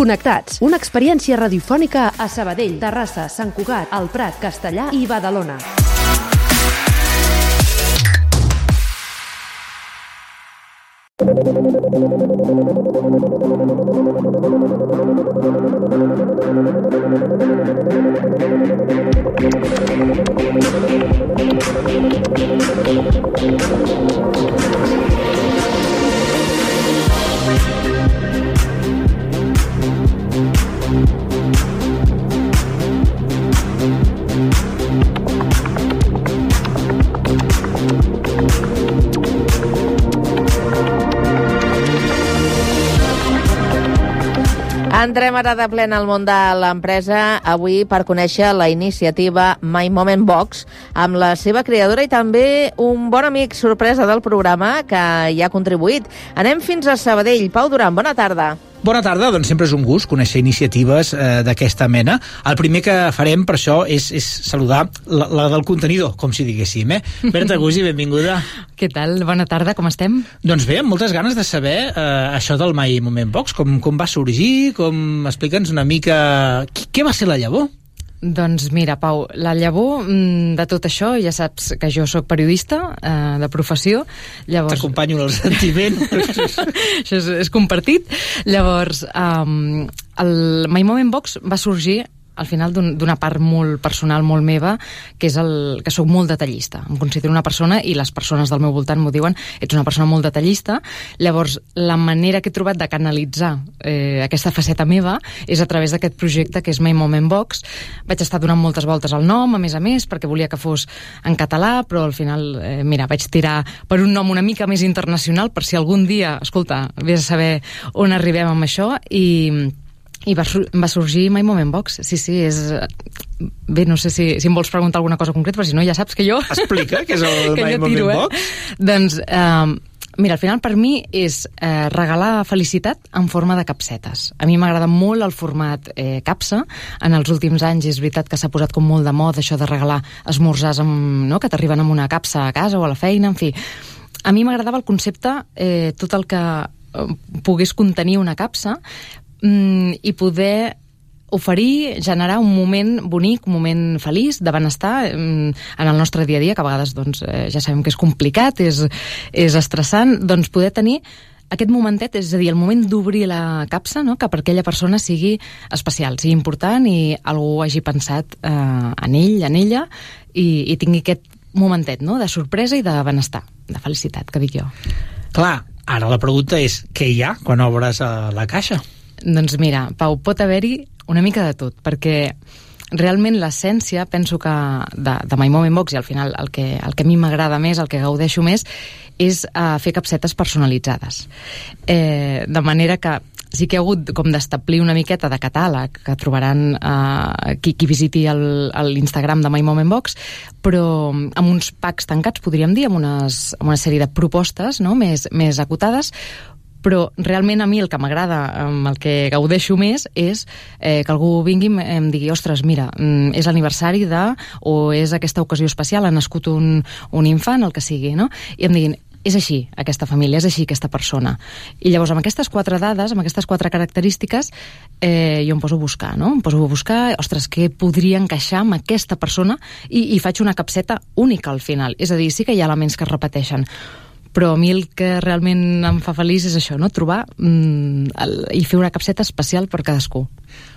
Connectats, una experiència radiofònica a Sabadell, Terrassa, Sant Cugat, El Prat, Castellar i Badalona. Entrem ara de plena al món de l'empresa avui per conèixer la iniciativa My Moment Box amb la seva creadora i també un bon amic sorpresa del programa que hi ha contribuït. Anem fins a Sabadell. Pau Duran, bona tarda. Bona tarda, doncs sempre és un gust conèixer iniciatives d'aquesta mena. El primer que farem per això és saludar la del contenidor, com si diguéssim, Berta Gussi, benvinguda. Què tal? Bona tarda, com estem? Doncs bé, amb moltes ganes de saber això del My Moment Box, com va sorgir, explica'ns una mica què va ser la llavor. Doncs mira, Pau, la llavor de tot això, ja saps que jo sóc periodista de professió, llavors... T'acompanyo en el sentiment. Això és compartit. Llavors, el My Moment Box va sorgir al final d'una part molt personal, molt meva, que és que sóc molt detallista. Em considero una persona, i les persones del meu voltant m'ho diuen, ets una persona molt detallista. Llavors, la manera que he trobat de canalitzar aquesta faceta meva és a través d'aquest projecte que és My Moment Box. Vaig estar donant moltes voltes al nom, a més, perquè volia que fos en català, però al final, vaig tirar per un nom una mica més internacional, per si algun dia, escolta, vés a saber on arribem amb això, i va sorgir My Moment Box. Sí, és... Bé, no sé si em vols preguntar alguna cosa concreta, però si no ja saps que jo... Explica què és el My Moment Box. Doncs, mira, al final per mi és regalar felicitat en forma de capsetes. A mi m'agrada molt el format capsa. En els últims anys és veritat que s'ha posat com molt de moda això de regalar esmorzars que t'arriben amb una capsa a casa o a la feina, en fi. A mi m'agradava el concepte, tot el que pogués contenir una capsa, i poder oferir, generar un moment bonic, un moment feliç, de benestar en el nostre dia a dia, que a vegades ja sabem que és complicat, és estressant, doncs poder tenir aquest momentet, és a dir, el moment d'obrir la capsa, que per aquella persona sigui especial, sigui important i algú hagi pensat en ell, en ella, i tingui aquest momentet de sorpresa i de benestar, de felicitat, que dic jo. Clar, ara la pregunta és què hi ha quan obres la caixa? Doncs mira, Pau, pot haver-hi una mica de tot, perquè realment l'essència, penso que de My Moment Box, i al final el que a mi m'agrada més, el que gaudeixo més, és fer capsetes personalitzades. De manera que sí que he hagut com d'establir una miqueta de catàleg que trobaran qui visiti l'Instagram de My Moment Box, però amb uns packs tancats, podríem dir, amb una sèrie de propostes més acotades, però realment a mi el que m'agrada, el que gaudeixo més, és que algú vingui i em digui, ostres, mira, és l'aniversari o és aquesta ocasió especial, ha nascut un infant, el que sigui, i em diguin, és així aquesta família, és així aquesta persona. I llavors amb aquestes 4 dades, amb aquestes 4 característiques, jo em poso a buscar, Em poso a buscar, ostres, què podria encaixar amb aquesta persona, i faig una capseta única al final. És a dir, sí que hi ha elements que es repeteixen, però a mi el que realment em fa feliç és això, trobar i fer una capseta especial per cadascú.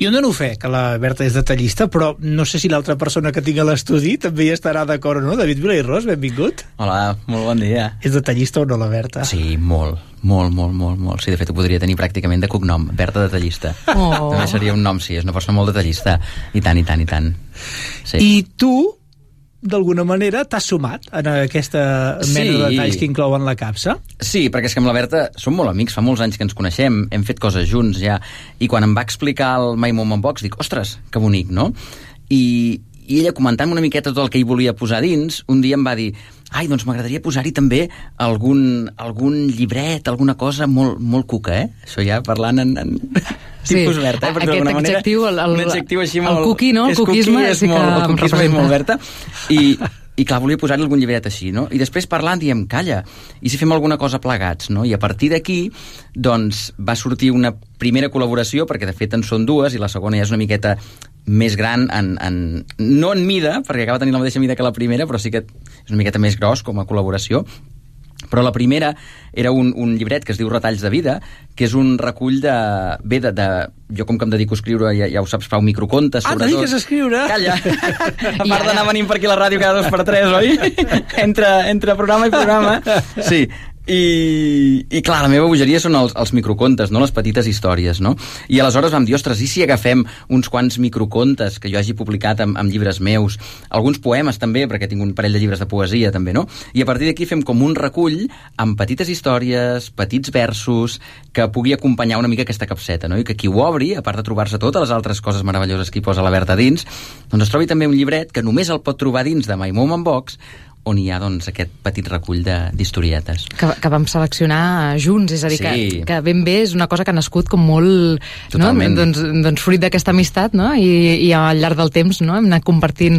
Jo dono fe que la Berta és detallista, però no sé si l'altra persona que tinc a l'estudi també hi estarà d'acord o no. David Vilairós, benvingut. Hola, molt bon dia. És detallista o no, la Berta? Sí, molt. Sí, de fet, ho podria tenir pràcticament de cognom, Berta detallista. Oh. També seria un nom, sí, és una persona molt detallista. I tant. Sí. I tu, d'alguna manera, t'has sumat en aquesta mena de detalls que inclouen la capsa? Sí, perquè és que amb la Berta som molt amics, fa molts anys que ens coneixem, hem fet coses junts ja, i quan em va explicar el My Moment Box dic, ostres, que bonic, no? I ella, comentant una miqueta tot el que hi volia posar dins, un dia em va dir, doncs m'agradaria posar-hi també algun llibret, alguna cosa molt cuca, Això ja parlant en tipus Berta, perquè d'alguna manera... Un adjectiu així molt... El cuqui, no? El cuquisme és molt Berta. I clar, volia posar-hi algun llibret així, I després parlant diem, calla, i si fem alguna cosa plegats, I a partir d'aquí, doncs, va sortir una primera col·laboració, perquè de fet en són dues, i la segona ja és una miqueta més gran, no en mida, perquè acaba tenint la mateixa mida que la primera, però sí que és una miqueta més gros com a col·laboració. Però la primera era un llibret que es diu Retalls de vida, que és un recull jo com que em dedico a escriure, ja ho saps, Pau, microcontes, sobretot. Dediques a escriure? Calla! A part d'anar venint per aquí a la ràdio cada 2x3, oi? Entre programa i programa. Sí. I clar, la meva bogeria són els microcontes, no? Les petites històries, no? I aleshores vam dir, ostres, i si agafem uns quants microcontes que jo hagi publicat amb llibres meus, alguns poemes també, perquè tinc un parell de llibres de poesia també, no? I a partir d'aquí fem com un recull amb petites històries, petits versos, que pugui acompanyar una mica aquesta capseta, no? I que qui ho obri, a part de trobar-se totes les altres coses meravelloses que hi posa la Berta dins, doncs es trobi també un llibret que només el pot trobar dins de My Moment Box, on hi ha doncs, aquest petit recull d'historietes. Que vam seleccionar junts, és a dir, sí. que ben bé és una cosa que ha nascut com molt... Totalment. No? Doncs fruit d'aquesta amistat, no? I al llarg del temps, no? Hem anat compartint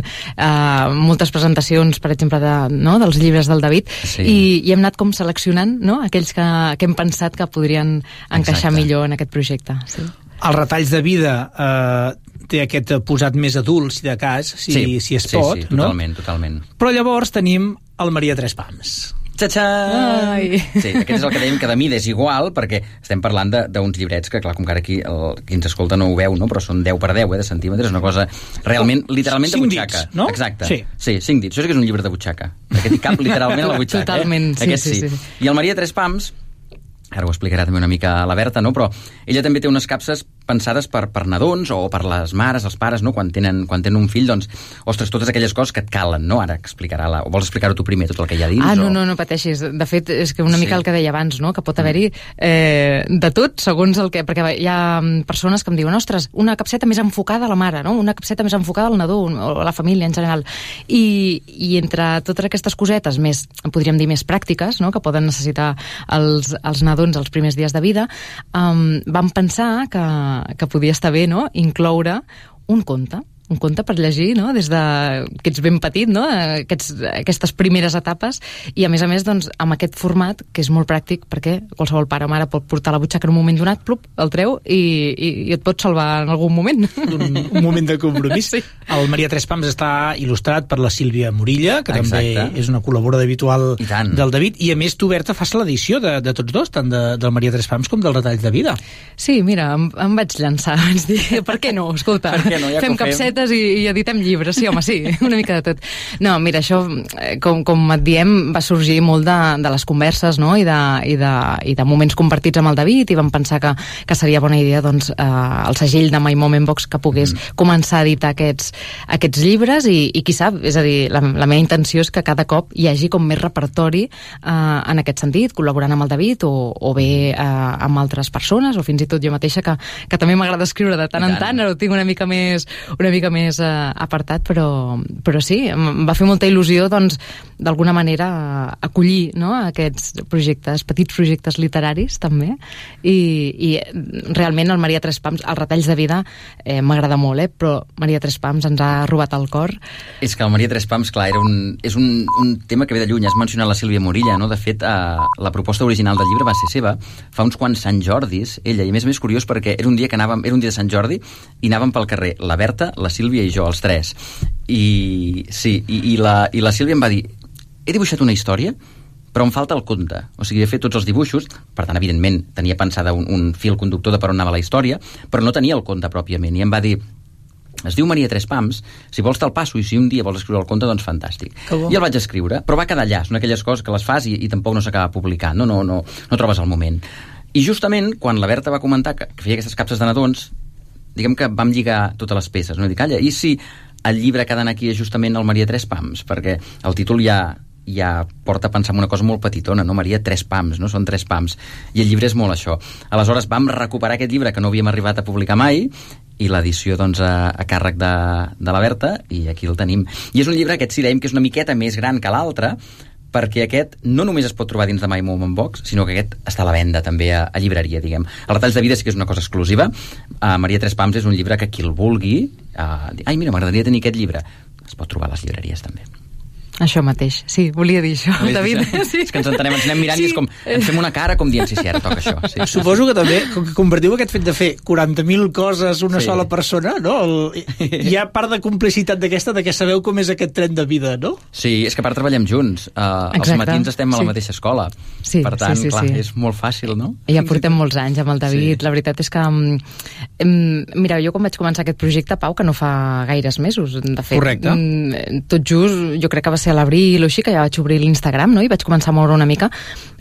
moltes presentacions, per exemple, dels llibres del David, sí. i hem anat com seleccionant, no? Aquells que hem pensat que podrien encaixar millor en aquest projecte. Sí. Els retalls de vida té aquest posat més adult, si de cas, si es pot, sí, totalment. Però llavors tenim el Maria Tres Pams. Txa-txa! Sí, aquest és el que dèiem, que de mida és igual, perquè estem parlant d'uns llibrets que, clar, com que ara aquí qui ens escolta no ho veu, no? Però són 10 per 10, de centímetres, una cosa realment, literalment de butxaca. 5 dits, no? Exacte. Sí, 5 dits. Això sí que és un llibre de butxaca. Aquest hi cap literalment a la butxaca. Totalment, Aquest sí. I el Maria Tres Pams, ara ho explicarà també una mica la Berta, no? Però ella també té unes capses pensades per nadons o per les mares, els pares, no? Quan tenen un fill, doncs, ostres, totes aquelles coses que et calen, no? Ara explicarà o vols explicar-ho tu primer, tot el que hi ha dins? No pateixis. De fet, és que una mica el que deia abans, no? Que pot haver-hi de tot, segons el que... Perquè hi ha persones que em diuen, ostres, una capseta més enfocada a la mare, no? Una capseta més enfocada al nadó o a la família en general. I entre totes aquestes cosetes més, podríem dir, més pràctiques, no? Que poden necessitar els nadons els primers dies de vida, vam pensar que podia estar bé, no?, incloure un conte per llegir, no?, des de que ets ben petit, no?, aquestes primeres etapes, i a més, doncs, amb aquest format, que és molt pràctic, perquè qualsevol pare o mare pot portar la butxaca en un moment donat, plup, el treu, i et pot salvar en algun moment. Un moment de compromís. Sí. El Maria Tres Pams està il·lustrat per la Sílvia Morilla, que també és una col·laboradora habitual del David, i a més tu, Berta, fas l'edició de tots dos, tant del Maria Tres Pams com dels Retalls de vida. Sí, mira, em vaig llançar, vaig dir, per què no? Escolta, fem capsetes i editem llibres, sí, home, sí, una mica de tot. No, mira, això, com et diem, va sorgir molt de les converses, no?, i de moments compartits amb el David, i vam pensar que seria bona idea, doncs, el segell de My Moment Box que pogués començar a editar aquests llibres, i qui sap, és a dir, la meva intenció és que cada cop hi hagi com més repertori en aquest sentit, col·laborant amb el David o bé amb altres persones, o fins i tot jo mateixa, que també m'agrada escriure de tant en tant, ara ho tinc una mica més apartat, però sí, em va fer molta il·lusió, doncs, d'alguna manera acollir, no?, aquests projectes, petits projectes literaris també, i realment el Maria Tres Pams, els Retalls de vida m'agrada molt, però Maria Tres Pams ens ha robat el cor. És que el Maria Tres Pams, clar, és un tema que ve de lluny. Has mencionat la Sílvia Morilla, no? De fet, la proposta original del llibre va ser seva fa uns quants Sant Jordis, ella, i a més curiós perquè era un dia de Sant Jordi i anàvem pel carrer, la Berta, la Sílvia i jo, els tres. I la Sílvia em va dir, he dibuixat una història, però em falta el conte. O sigui, he fet tots els dibuixos, per tant, evidentment, tenia pensada un fil conductor de per on anava la història, però no tenia el conte pròpiament. I em va dir, es diu Maria Tres Pams, si vols te'l passo, i si un dia vols escriure el conte, doncs fantàstic. I el vaig escriure, però va quedar allà, són aquelles coses que les fas i tampoc no s'acaba publicant, no trobes el moment. I justament, quan la Berta va comentar que feia aquestes capses de nadons, diguem que vam lligar totes les peces, no? I dic, calla, i si el llibre que ha d'anar aquí és justament el Maria Tres Pams? Perquè el títol ja porta a pensar en una cosa molt petitona, no? Maria Tres Pams, no? Són 3 pams. I el llibre és molt això. Aleshores vam recuperar aquest llibre que no havíem arribat a publicar mai, i l'edició, doncs, a càrrec de la Berta, i aquí el tenim. I és un llibre, aquest sí dèiem que és una miqueta més gran que l'altre, perquè aquest no només es pot trobar dins de My Moment Box, sinó que aquest està a la venda també a llibreria, diguem. Els Retalls de vida sí que és una cosa exclusiva. Maria Tres Pams és un llibre que qui el vulgui... ai, mira, m'agradaria tenir aquest llibre. Es pot trobar a les llibreries també. Això mateix, sí, volia dir això, David. Sí. És que ens entenem, ens anem mirant i és com, ens fem una cara com dient, sí, ara toca això. Sí. Suposo que també, com que compartiu aquest fet de fer 40.000 coses una sola persona, no? Hi ha part de complicitat d'aquesta, de que sabeu com és aquest tren de vida, no? Sí, és que a part treballem junts. Els matins estem a la mateixa escola. Sí, per tant, clar, és molt fàcil, no? Ja portem molts anys amb el David. La veritat és que... Mira, jo quan vaig començar aquest projecte, Pau, que no fa gaires mesos, de fet. Correcte. Tot just, jo crec que va ser a l'abril o així, que ja vaig obrir l'Instagram, no? I vaig començar a moure una mica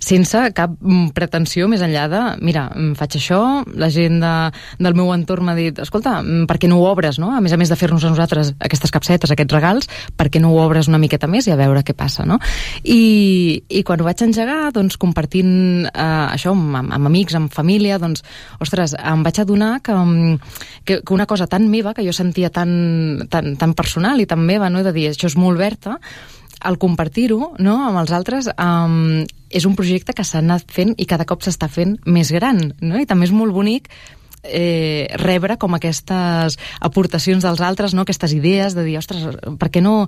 sense cap pretensió més enllà de, mira, faig això, la gent del meu entorn m'ha dit, escolta, per què no ho obres, no? A més de fer-nos a nosaltres aquestes capsetes, aquests regals, per què no ho obres una miqueta més i a veure què passa, no? I quan ho vaig engegar, doncs, compartint això amb amics, amb família, doncs, ostres, em vaig adonar que una cosa tan meva, que jo sentia tan personal i tan meva, no?, de dir, això és molt Berta, al compartir-ho, no?, amb els altres, és un projecte que s'ha anat fent i cada cop s'està fent més gran, no?, i també és molt bonic rebre com aquestes aportacions dels altres, no?, aquestes idees de dir, ostres, per què no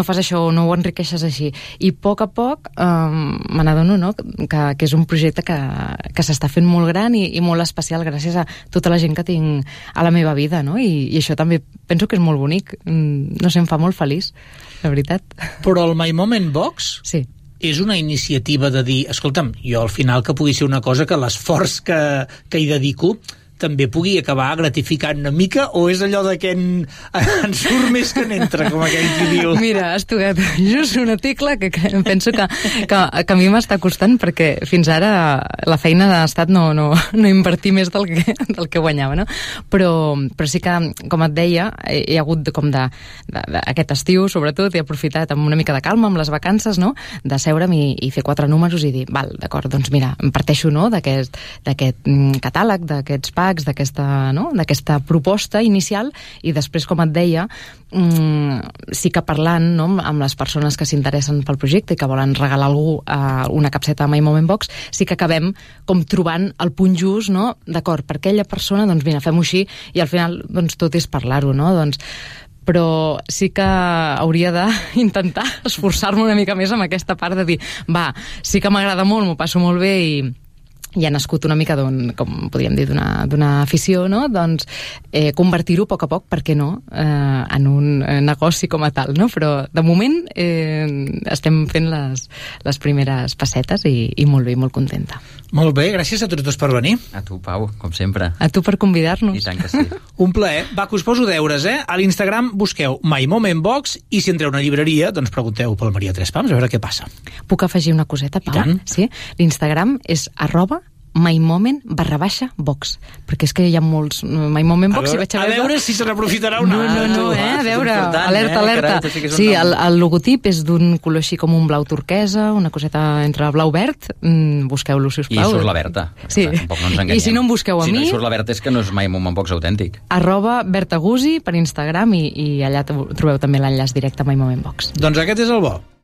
fas això o no ho enriqueixes així? I a poc me n'adono, no?, que és un projecte que s'està fent molt gran i molt especial gràcies a tota la gent que tinc a la meva vida, no?, i això també penso que és molt bonic, no sé, em fa molt feliç, la veritat. Però el My Moment Box sí, és una iniciativa de dir, escolta'm, jo al final que pugui ser una cosa que l'esforç que hi dedico també pugui acabar gratificant una mica, o és allò de que en surt més que n'entra, com aquell qui diu? Mira, has tocat just una tecla que penso que a mi m'està costant, perquè fins ara la feina ha estat no invertir més del que guanyava, no? Però sí que, com et deia, he hagut com aquest estiu, sobretot, he aprofitat amb una mica de calma, amb les vacances, no?, de seure'm i fer 4 números i dir, val, d'acord, doncs mira, em parteixo, no?, d'aquest catàleg, d'aquests packs, d'aquesta proposta inicial, i després, com et deia, sí que parlant, no?, amb les persones que s'interessen pel projecte i que volen regalar a algú una capseta de My Moment Box, sí que acabem com trobant el punt just, no?, d'acord, per aquella persona, doncs mira, fem-ho així, i al final doncs tot és parlar-ho, no?, doncs però sí que hauria d'intentar esforçar-me una mica més amb aquesta part de dir, va, sí que m'agrada molt, m'ho passo molt bé i ha nascut una mica com podríem dir, d'una afició, no?, doncs convertir-ho a poc, per què no, en un negoci com a tal, no? Però de moment estem fent les primeres passetes i molt bé, molt contenta. Molt bé, gràcies a tots dos per venir. A tu, Pau, com sempre. A tu per convidar-nos. I tant que sí. Un plaer. Va, que us poso deures, A l'Instagram busqueu My Moment Box i si entreu a una llibreria, doncs pregunteu pel Maria Tres Pams a veure què passa. Puc afegir una coseta, Pau? I tant. Sí? L'Instagram és @mymoment_box, perquè és que hi ha molts My Moment Box. A veure si se n'aprofitarà una. No, a veure, alerta. Sí, el logotip és d'un color així com un blau turquesa, una coseta entre blau-verd, busqueu-lo, sisplau. I surt la Berta. Sí. Tampoc no ens enganyem. I si no em busqueu a mi... Si no surt la Berta és que no és My Moment Box autèntic. @bertagusi per Instagram i allà trobeu també l'enllaç directe a My Moment Box. Doncs aquest és el bo.